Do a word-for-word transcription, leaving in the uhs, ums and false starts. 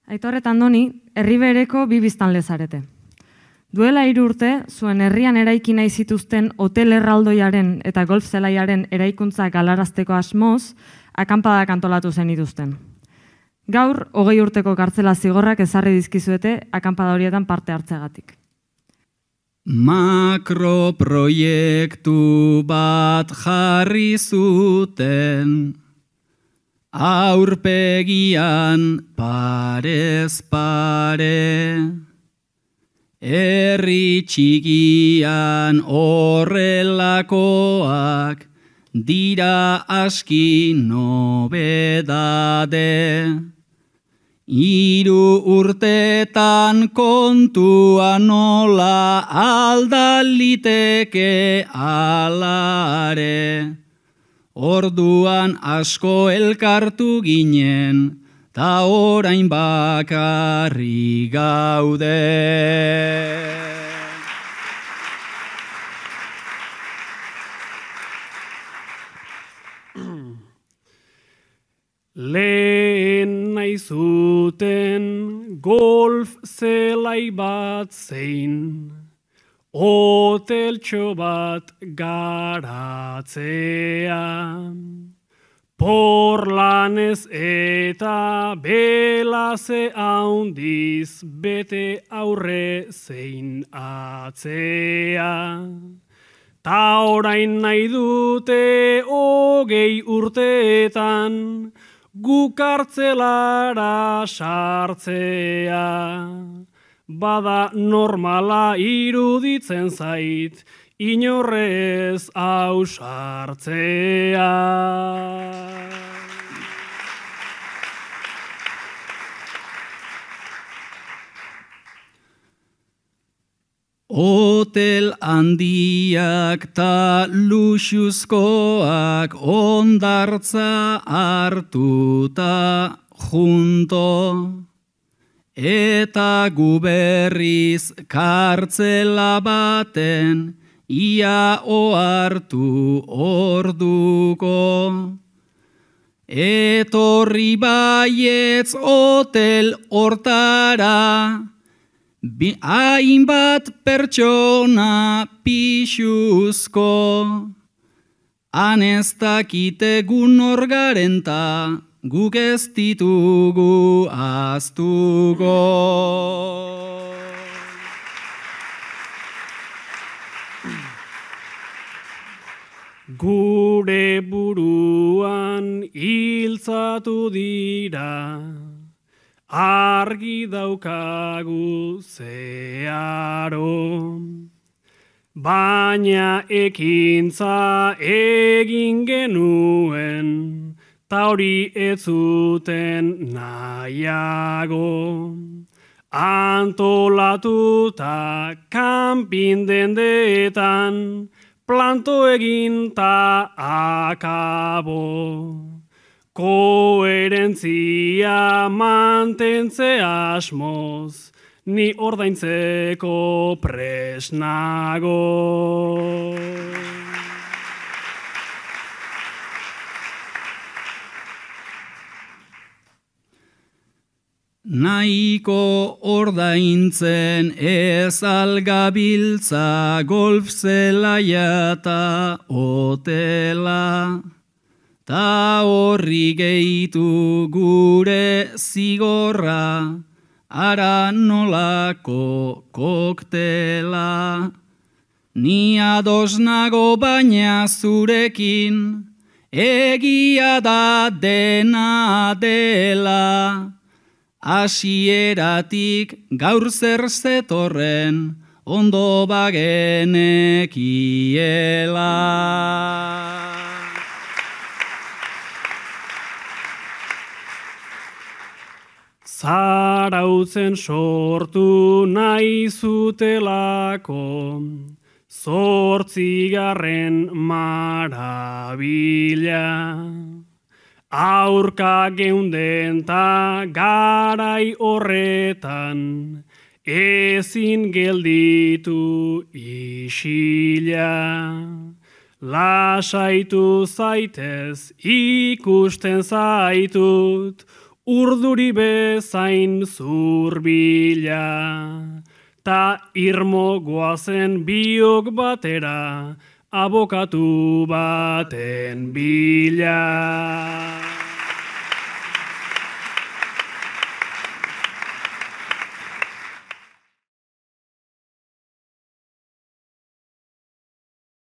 Aitor eta Andoni, herri bereko bi biztanle zarete. Duela hiru urte, zuen herrian eraiki nahi zituzten hotel erraldoiaren eta golf zelaiaren eraikuntza galarazteko asmoz, akanpadak antolatu zenituzten. Gaur, hogei urteko kartzela zigorrak ezarri dizkizuete akanpada horietan parte hartzeagatik. Makroproiektu bat jarri zuten, aurpegian parez pare, herri txikian horrelakoak dira aski nobedade. Hiru urtetan kontua nola aldaliteke alare. Orduan asko elkartu ginen, ta orain bakarri gaude. Lehen nahi zuten golf zelai bat zein, hoteltxo bat garatzea. Porlanez eta belaze haundiz bete aurre zein atzea. Ta orain nahi dute hogei urteetan, gu kartzelara sartzea. Bada normala iruditzen zait, inorrez ausartzea. Hotel handiak ta luxuzkoak ondartza hartuta junto, eta gu berriz kartzela baten ia ohartu orduko. Etorri baietz hotel hortara, hainbat pertsona pixuzko, han ez dakite gu nor garen ta, guk ez ditugu ahaztuko. Gure buruan hiltzatu dira, argi daukagu zeharo, baina ekintza egin genuen, ta hori ez zuten nahiago. Antolatuta kanpin dendetan, planto egin ta akabo. Koherentzia mantentze asmoz, ni ordaintzeko presnago. Nahiko ordaintzen ez algabiltza golf zelaia ta hotela, ta horri gehitu gure zigorra, ara nolako koktela. Ni ados nago baina zurekin, egia da dena dela. Hasieratik gaur zer zetorren, ondo bagenekiela. Zarautzen sortu nahi zutelako, zortzigarren marabila. Aurka geunden ta garai horretan, ezin gelditu isila. Lasaitu zaitez ikusten zaitut, urduri bezain zurbila, ta irmo goazen biok batera, abokatu baten bila.